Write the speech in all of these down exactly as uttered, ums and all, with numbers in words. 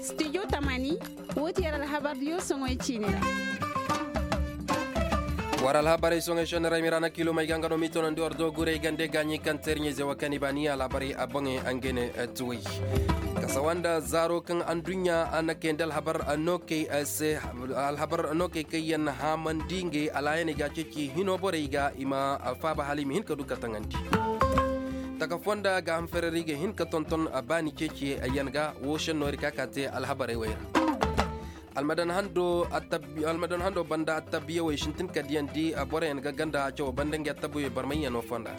Studio tamani, woo ti yer alhabardiyo soŋoy ciini ra. War alhabarey soŋey šenni ra ay ma i ra na kiilomey ga nga no m'i toonandi war do guray gande gaaɲi kaŋ teerɲey ze wa kaŋ i baani alhabarey a boŋey a ngey ne tuwey. Kasawa nda zaaro kaŋ adduɲɲa a na kayandi alhabar nookey se. Alhabar nookey kaŋ yaŋ haamandi ngey alaayaney ga ceeci hino borey ga i ma faaba hala i ma hin ka du ka taŋandi. Taka fonda ga hanfarari ga hin ka tonton baani ceeci yaŋ ga woo šenno ir ka ka te alhabarey wey ra. Almadan hando banda attabiyawey sintin ka diyandi boroyaŋ ga ganda cawo banda ngey attabiyawey barmayyaŋo fonda.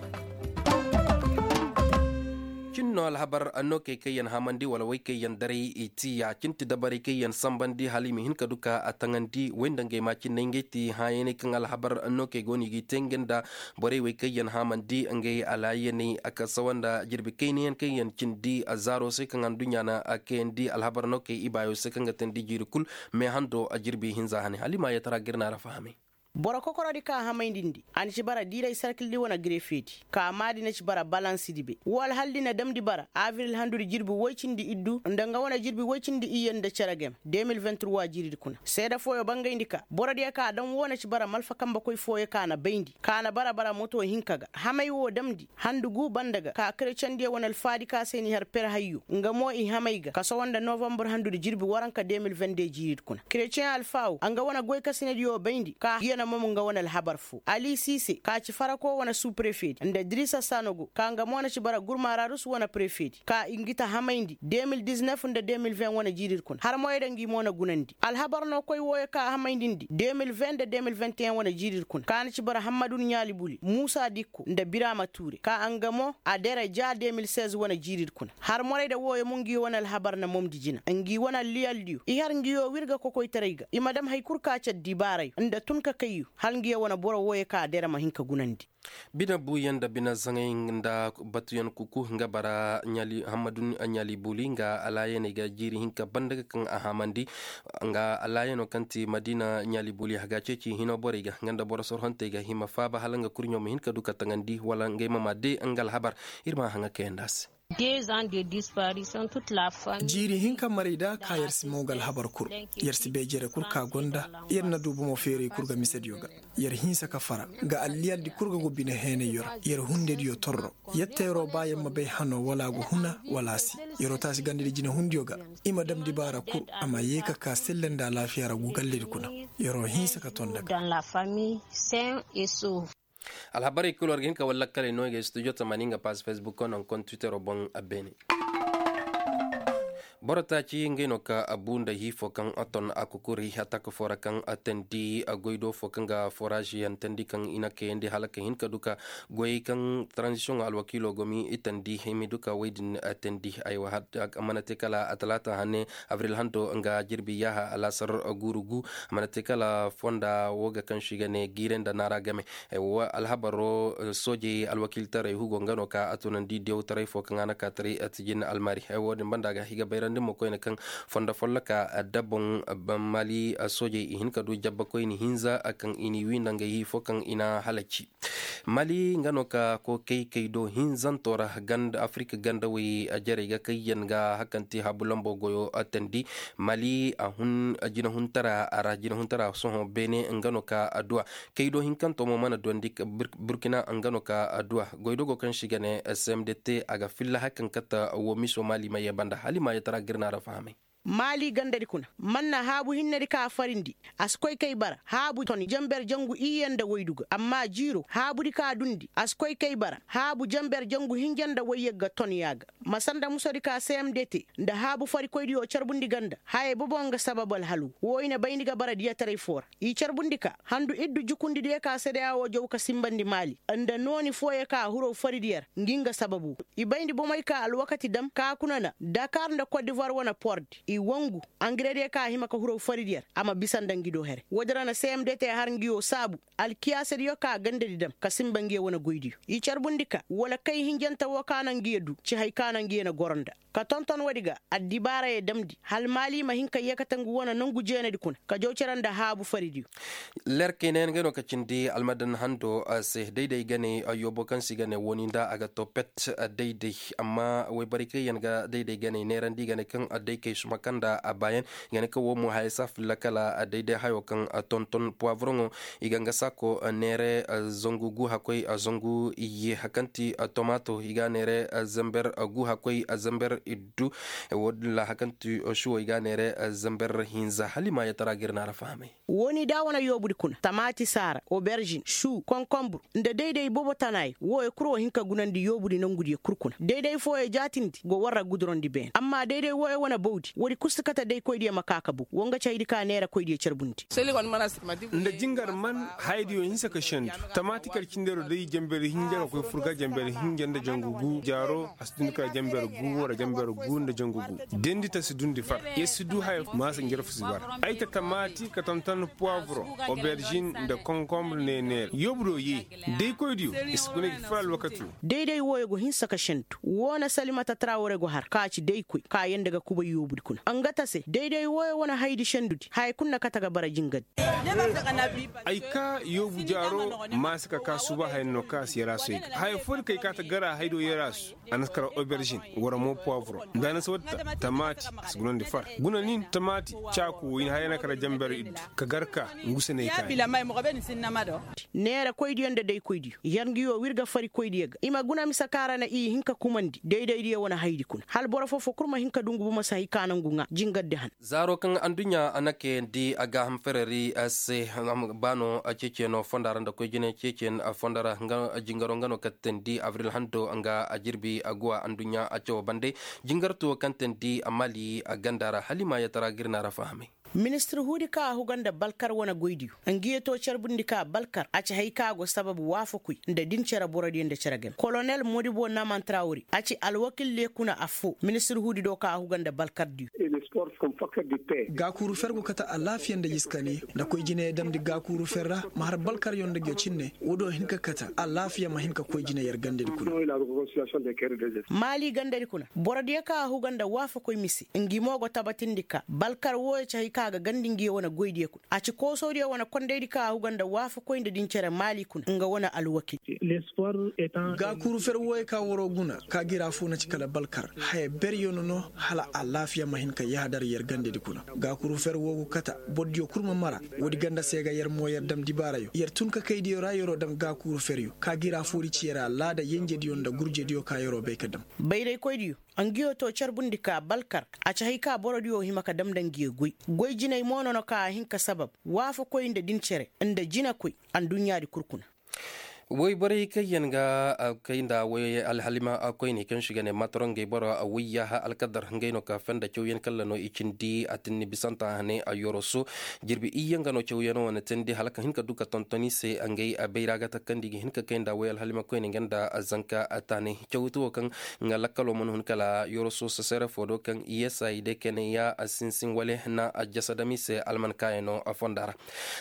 Cin no alhabar nookey kaŋ yaŋ haamandi wala wey kaŋ yaŋ daray i ti ya cin ti dabarey kaŋ yaŋ sanbandi hala i ma hin ka du ka a taŋandi wey nda ngey ma cin no ngey ti hãyaney kaŋ alhabar nookey go no i g'i te nga nda borey wey kaŋ yaŋ haamandi ngey alaayaney a kasawa nda jirbi kaynayaŋ kaŋ yaŋ cindi zaaro se kaŋ adduɲɲa na kayandi alhabar nookey ibaayo se kaŋ ga teendi jiiri kul. Me hando jirbi hinza hane hala i ma yeetara ga ir na ra fahamay. Boro kokorodi ka hamayndi ndi a na ci bara diiray sarkildi wane grefedi ka maadi na ci bara balansidi be woo alhaldi na damndi bara abril handudi jirbi woy cindi iddu nda nga wane jirbi woy cindi iyye nda cere game. De mil vingt trois jiiridi kuna seede fooyo bangayndi ka borodiyo ka dam woo na ci bara malfa kambekoy fooyo ka na bayndi ka na bara bara moto hinka ga hamay woo damndi handu guu banda ga ka kerecendiyo wane alfaadi ka se n'i har per hayyo nga mo i hamay ga kasawa nda novambar handudi jirbi waranka de mil vingt deux jiiridi kuna kereceŋ alfaawo a nga wane goykasinediyo bayndi ka yana momo nga wane alhabar foo ali siise ka ci farako wane suuprefedi nda dirisa sanogo ka nga mo na ci bara gurmaararus wane prefedi ka i ngi ta hamayndi de mil diznef nda de mil vingt wane jiiridi kuna har moyda ngi mo na gunandi alhabar no koy wooyo ka hamayndi ndi de mil vingt nda de mil vingt et un wane jiiridi kuna ka na ci bara hammadun ɲaali buli muusa dikko nda biraama tuure ka nga mo a dere ja de mil seize wane jiiridi kuna har morayda wooyo mo ngi wane alhabar na momdi jina ngi wane alliyaldiyo i har ngiyo wirga kokoytaray ga i ma dam hay kul ka ci addibaarayo nda tun ka kayyo hala ngiyo wane boro wooyo ka dere ma hin ka gunandi. Bine buuyaŋ nda bine zaŋay nda batuyaŋ kuku nga bara hammadu ɲaali buli nga alaayaney ga jiiri hinka banda ga kaŋ a haamandi nga alaayano kaŋ ti madiina ɲaali buli a ga ceeci hino borey ga nga nda boro sorhontey ga hima faaba hala nga kurɲo ma hin ka du ka taŋandi wala ngey ma ma de nga alhabar. Ir ma a haŋa kayandi a se. Jiiri hinka maray da ka yer si mo ga alhabar kul. Yer si bay jere kul ka gonda. Yer na du bomo feeray kul ga misediyo ga. Yer hinsa ka fara ga alliyaldi kul ga go bine heenayyo ra yer hundediyo torro. Yer teero ba yer ma bay hano wala a go huna wala a si. Yer'o taasi gandadi jinehundiyo ga. I ma dam dibaara kul a ma yee ka ka selle nda alaafiya ra gu galledi kuna. Yer'o hinsa ka ton daga. Alhabarey kul war ga hin ka war lakkaley no i ga studio tamani nga pass facebook o naŋ kon twittero boŋ. Beene. Boro taaci ngey no ka a bu nda hii fo kaŋ a ton a kukuri a taka fo ra kaŋ a teendi a goy do fo kaŋ ga foraaz yaŋ teendi kaŋ i na kayandi hala ka hin ka du ka goyey kaŋ taranzisiyoŋo alwakiilo go m'i teendi i m'i du ka wey din teendi. Aywa a mana te kala a talaata hane abril hando nga jirbi yaaha alaasar guuru gu. A mana te kala fonda wo ga kaŋ se i ga ne giire nda naara game. Alhabaro soojey alwakiiltaray hugo nga no ka a tunandi dewtaray fo kaŋ a na ka taray tijin almari. Wo- din banda ga i ga bayrandi mo koyne kaŋ fondo folloka da boŋ mali soojey i hin ka du jabba koyne hinza kaŋ i n'i wi nda ngey hii fo kaŋ i na halaci. Mali nga no ka kookey kay do hinzanto ra ganda afirika gandawey jarey ga kayyaŋ ga hakanti habu lambo goyo teendi. Mali a hun jinahuntara a ra jinahuntara sohõ beene nga no ka adduwa. Kay do hinkanto mo mana duwandi burkina nga no ka adduwa goydogo kaŋ se i ga ne cmdt a ga filla hakan kata wo miso mali ma ye banda hala i ma ye tara ga ir na ra fahamay. Maali gandadi kuna, manna haabu hinnedi ka a farindi. A si koy kay bara haabu ton janber jangu iyye nda woydu ga amma jiiro haabudi ka dundi a si koy kay bara haabu janber jangu hinja nda woyyagga ton ya ga. Ma sanda musodi ka cmdt nda haabu farikoydiyo carbundi ganda hayey bobo nga sabab alhalu wo i na bayndi ga bara diyataray foo ra. I carbundi ka handu iddu jukundidiyo ka sedeya woo jaw ka simbandi maali nda nooni fooyo ka huroo faridiyo ra ngi nga sababu. I bayndi bomey ka alwakati dam ka kuna na dakar nda kodivar wane pordi. I wangu angirediyo kaŋ a hima ka huraw fari di yer a ma bisa nda ngi do here woodi ra na cmd te har ngi wo saabu alkiyaasadiyo ka gandadi dam ka sinba ngi ye wane goydiyo i carbundi ka wala kay hinjante wo ka na ngi ye du ci hay ka na ngi ye na goro nda ka tonton woodi ga addibaara ye damndi hala maali ma hin ka yeekate ngu wane nongu jeenadi kuna ka jaw cere nda haabu faridiyo. Lerkey ne yaŋ ga no ka cindi almadan hando se dayday ganey yoobo kaŋ se i ga ne wooni nda a ga to pet dayday amma woyborey kaŋ yaŋ ga dayday ganey neerandi i ga ne kaŋ daykey suma kaŋ nda a baayaŋ i ga ne kaŋ wo mo haya saafilla kala dayday hayo kaŋ tonton puwabroŋo i ga nga saako neere zangu gu hakkoy zangu iyye hakanti tomaato i ga neere zamber gu hakkoy zamber iddu. Wo- din ra hakanti shuwo i ga neere zamber hinza hala i ma yatara ga ir na ra fahamay. Wooni da wane yoobudi kuna tamaati saara oberžin shu konkonbur nda dayday boobo tanaayey wooyo kul wo hin ka gunandi yoobudi nongudiyo kul kuna dayday fooyo jaatindi go war ra gudurandi beene amma dayday wooyo wane bawdi woodi kul si kate daykoydiyo ma ka ka bow wo nga ci haydi ka neerakoydiyo carbundi. Nda jingar man hayadiyo hinsa ka sendu tamaati kala cindero day jambari hinja ka koy fur ga jambari hinja nda jangu gu jaaro a si dundi kala jambari gu wara jambari gu nda jangu gu. Dendi ta si dundi far yer si du haya maasa njarfu si bara ay ta tamaati ka tonton puwaburo oberžin nda konkonbur ne neera yoobudo ye. Daykoydiyo i si guna gi far alwakati wo. Dayday wooyo go hinsa ka sendu woo na salimata trawre go har ka ci daykoy ka yanda ga kubay yoobudi kuna nga ta se dayday wooyo wane haydi sendudi haya kul na kate ga bara jingaddi. Ay ka yoobu jaaro maasi ka ka suba haya no ka si yar a soy ga haya foodi kay ka ta gara haydo yar a su a na si kara oberžin wara mo puwaburo nda a na si wadda tamaati a si gunandi far guna nin tamaati caaku wo i na haya na kara jamber iddu ka gar ka ngu se na ay ka neerakoydiyo nda daykoydiyo yar ngi wo wirga farikoydiyo ga i ma guna mise kaŋ a ra na i hin ka kumandi daydaydiyo wane haydi kuna hala boro foo-foo kul ma hin ka du ngu bomo se hay ka nangu ŋaa jingardi han. Zaaro kaŋ adduɲɲa a na kayandi a gaaham fereri se ba no ceeciyaŋo fonda ra nda koy jine ceeciyaŋ fonda ra jingaro nga no kaŋ teendi abril hando nga a jirbi a guwa adduɲɲa a cawo bande jingartu wo kaŋ teendi a maali a ganda ra hala i ma yatara ga ir na ra fahamay. Ministir huudi kaŋ a huga nda balkar wane goydiyo ngi ye to carbundi ka balkar a ci hay kaŋ a go sababu waafakoy nda din cere borodiyo nda cere game kolonel modibo naman trawri a ci alwakil leekuna affoo ministir huudi do kaŋ a huga nda balkardiyo. Gaakuuru fer go kate alaafiya nda jiskani nda koy jine ya damndi gaakuuru fer ra ma har balkaryo nda ngiyo cinne woodiyo hin ka kate alaafiya ma hin ka koy jine yer gandedi kuna. Maali gandedi kuna borodiyo kaŋ a huga nda waafakoy mise ngi mo go tabatindi ka balkar wooyo ci hay kaŋ a ga gandi ngiyo wane goydiyo kuna a ci koosodiyo wane kondaydi kaŋ a huga nda waafakoy nda din cere maali kuna nga wane alwakil. Gaakuuru fer wooyo ka waroo guna ka ga ir affoo na ci kala balkar haya beryo no no hala alaafiya ma hin ka yaadar yer gandedi kuna. Gaakuuru fer woo go kate borodiyo kul ma mara woodi ganda se ga yer mo yer dam dibaarayo yer tun ka kaydiyo ra yeroo dam gaakuuru feryo ka ga ir affoodi ci yer alaada yenjediyo nda gurjediyo ka yeroo bay ka dam. Bayraykoydiyo ngiyo to carbundi ka balkar a ci hay ka borodiyo hima ka dam nda ngiyo goy goy jinay mo no no ka a hin ka sabab waafakoy nda din cere nda jinekoy adduɲɲaadi kul kuna. Woy borey kaŋ yaŋ ga kay nda woy alhalima koyney kaŋ se i ga ne matorongey boro woy yaaha alkadar ngey no ka fenda cawyaŋ kalla no i cindi a tinni bisanta hane a yoroso jirbi iyye nga no cawyaŋo wane teendi hala ka hin ka du ka tonton i se ngey bayra ga takandi ga hin ka kay nda woy alhalima koyney nga nda zanka taanay cawti wo kaŋ nga lakkalo mana hun kala yoroso sesere fo do kaŋ i yesa i day kayna ya sinsin wale na a jasa dam i se alman kaayaŋo fonda ra.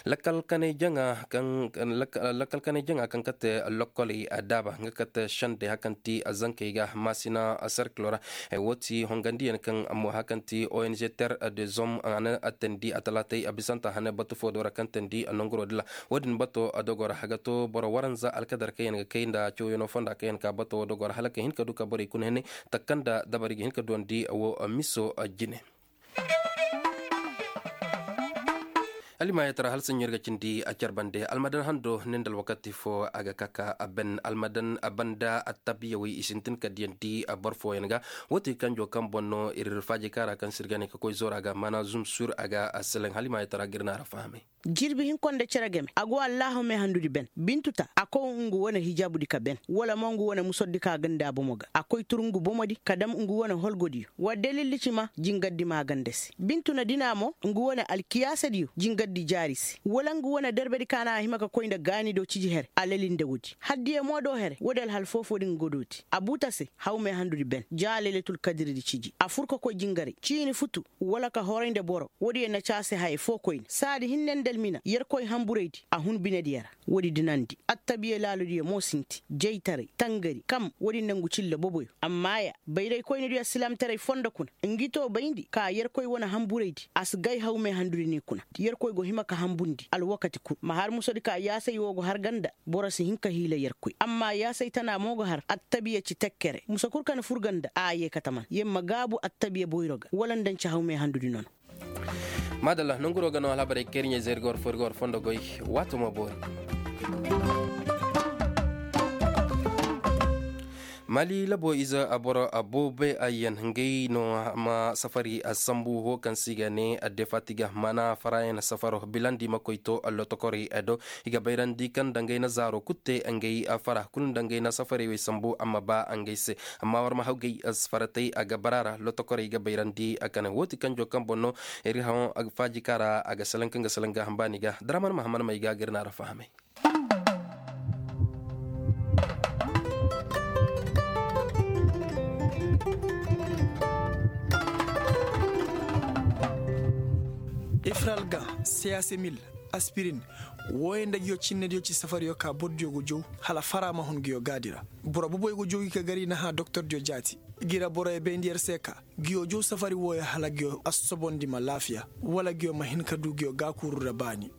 Lakkal kanay jaŋa kaŋ kate lokkoley daaba nga kate sendey hakaŋ ti zankey ga maasina serkilo ra. Wo ti hongandiyaŋ kaŋ mo hakaŋ ti ong ter de zom a na a teendi a talaatay a bisanta hane batu fo do ra kaŋ teendi nonguro dila. Wo- din bato dogo ra a ga to boro waranza alkadar kaŋ yaŋ ga kay nda cawyaŋo fonda kaŋ yaŋ ka bato wo dogo ra hala ka hin ka du ka borey kuna hinay takka nda dabari ga hin ka duwandi wo miso jine. Allimaayatara hala saɲɲo ir ga cindi a care bande almadan hando ne nda alwakati fo a ga ka ka a ben almadan a banda attabiya wey i sintin ka diyandi a boro fooyaŋ ga. Wo ti kanjo kaŋ boŋ no ir faaji kaara kaŋ se ir ga ne ka koy zoora ga maana zum sur a ga a seleŋ allimaayatara ga ir na a ra fahamay. Jirbi hinko nda cere game a go allaahu meehandudi ben bintu ta a kow ngu wane hijaabudi ka ben wala mo ngu wane musordi ka ganda bomo ga a koy tur ngu bomodi ka dam ngu wane holgodiyo wa dalildi ci ma jingardi maaganda se bintu na dina mo ngu wane alkiyaasadiyo jingardi. Di jaari se wala nga wane derbedi ka na a hima ka koy nda gaani do ciji here a leli nda woodi haddiye mo do here woodi alhal foofo din ga dooti a buuta se hawmey handudi ben ja leletul kadiridi ciji a fur ka koy jingaray ciini futu wala ka horay nda boro woodiyo na ci a se haya fo koyne saadi hinne nda almina yerkoy hanburaydi a hun binediyo ra. Woodi dinandi attabiya laaludiyo mo sinti jaytaray tangari kam woodi nangu cilla boboyo amma ya bayraykoynidiyo alsilaamtaray fondo kuna ngi to bayndi ka yerkoy wane hanburaydi a si gay hawmey handudi ni kuna yerkoy go hima ka hanbundi alwakati kul ma har musodi ka yaasay wo go har ga nda boro si hin ka hiila yerkoy amma yaasay tana mo go har attabiya ci tekkere musa kul ka na fur ga nda a yee kataman yer ma gaabu attabiya boyro ga wala nda nci hawmey handudi nono. Maadalla nonguroo ga no alhabarey kayrɲey zay ir ga war foo ir ga war fondo goy. Waato ma boori. Mali laboo ize boro booboyaŋ ngey no ma safari sambu wo kaŋ se i ga ne defatiga maana faraayaŋ safaro bilandi ma koy to lotokorey do. I ga bayrandi kaŋ nda ngey na zaaro kul te ngey fara kul nda ngey na safarey wey sambu a ma ba ngey se. Amma war ma hawgay faratay a ga bara ra lotokorey ga bayrandi a kane wooti kanjo kaŋ boŋ no. Iri haw faaji kaŋ ra a ga salaŋ kaŋ ga salaŋ ga hambaani ga daraman mahaman may ga ga ir na ra fahamay. Ifral ga seyasemil aspirin wooyo nda nguyo cinnediyo ci safariyo ka bordiyo go jow hala fara ma hun nguyo gaadi ra. Boro boboyo go jow gi ka gar i na hã doktordiyo jaati gi ra boroyo bayndi yer se ka nguyo jow safari wooyo hala nguyo assobondi ma laafiya wala nguyo ma hin ka du nguyo gaakuuru ra baani.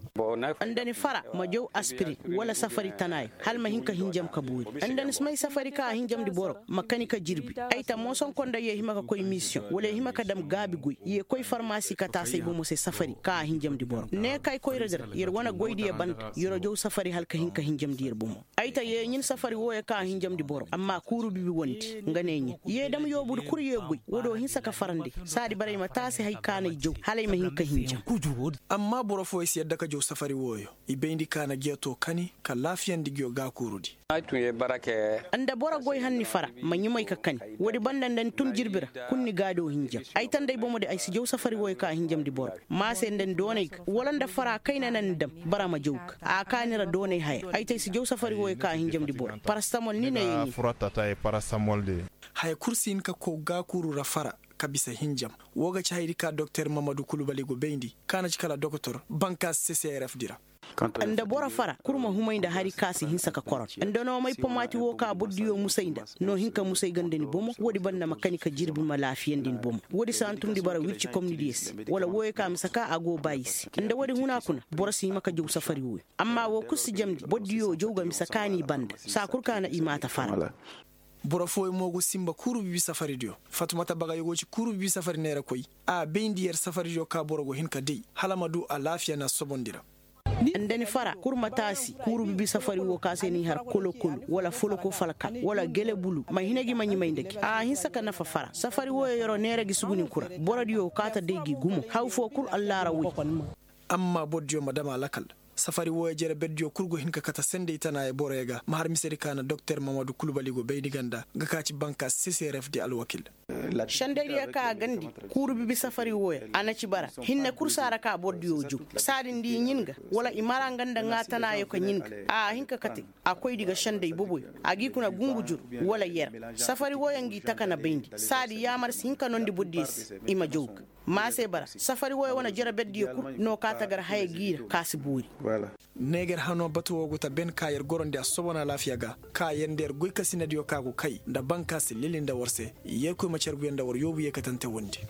Nda ni fara ma jow aspirin wala safari tanaayo hala ma hin ka hinjam ka boori. Nda ni si may safari ka a hinjamndi boro ma kani ka jirbi ay ta moosonko nda yee hima ka koy misiyoŋ wala yee hima ka dam gaabi goy yee koy farmaasi ka taasay bomo se safari ka a hinjamndi boro ne ka ay koyra di ra yer wane goydiyo banda yer jow safari hala ka hin ka hinjamndi yer bomo. Ay ta yee ɲin safari wooyo ka a hinjamndi boro amma kuuru bibi wondi nga ne ɲin yee dam yoobudi kul yee goy woodiyo hinsa ka farandi saadi bara ay ma taasi hay ka na ay jow hala ay ma hin ka hinjam. Amma boro fooyo si yadda ka jow safari wooyo i bayndi ka na giya too kani ka laafiyandi giyo gaakuurudi. Nda boro goy hanni fara ma ɲumay ka kani woodi banda nda ni tun jirbi ra kul ni gaado hinjam ay ta nda ay bomodi ay si jow safari wooyo ka a hinjamndi boro maa se nda ni doonay ga wala nda fara kayna na ni dam bara ma jow ga a kaani ra doonay haya ay ta ay si jow safari wooyo ka a hinjamndi boro parastamol ni ne yee ɲin. Haya kul si hin ka kow gaakuuru ra fara ka bisa hinjam. Woo ga ci hayadi ka doktor mamadu kulubali go bayndi ka na ci kala dokotor bankaas se se ay rafdi ra. Nda boro fara kul ma humay nda hari ka si hinsa ka koron nda no may pomaati woo ka bordiyo musay nda no hin ka musay ga nda ni bomo woodi banda ma kani ka jirbi ma laafiyandi ni bomo woodi si hantumndi bara wircikomnidiyo se wala wooyo ka misa ka a go baayi se nda woodi huna kuna boro si hima ka jow safari wooyo amma woo kul si jamndi bordiyo jow ga misa ka n'i banda saa kul ka na i maata fara. Boro fooyo mo go sinba kuuru bibi safaridiyo fatumata bagay go ci kuuru bibi safari neerakoy a bayndi yer safaridiyo ka boro go hin ka day hala ma du alaafiya na sobondi ra. Nda ni fara kul ma taasi kuuru bibi safari woo ka se n'i har kolokolo wala foloko falka wala gelebulu ma hina gi ma ɲumay nda gi a hinsa ka nafa fara safari wooyo yeroo neera gi sugunin kul ra borodiyo kaa ta day gi gumo haw foo kul allaara woy. Amma bordiyo ma dam a lakal safari wooyo jere berdiyo kul go hin ka kate sendey tanaayo boroyo ga ma har misedi ka na doktor mamadu kulubali go bayndi ganda nga ka ci banka seserefdi alwakil. Sendeydiyo ka a gandi kuuru bibi safari wooyo a na ci bara hinne kul si a ra ka bordiyo jow saadi nda i ɲin ga wala i mara nga nda ŋaatanaayo ka ɲin ga a hin ka kate a koydi ga sendey boboyo a g'i kuna gungu jur wala yer safari wooyo ngi taka na bayndi saadi yaamar si hin ka noondi bordiyo se i ma jow ga. Maase bara safari wooyo wane jere berdiyo kul no ka tagar haya g'i ra ka si boori. Neeger hanoo batu woo go ta ben ka yer gorondi a sobon alaafiya ga ka yer nda yer goykasinadiyo ka go kay nda bankaasi lili nda war se yerkoy ma carguyaŋ nda war yoobu yeekatante wondi.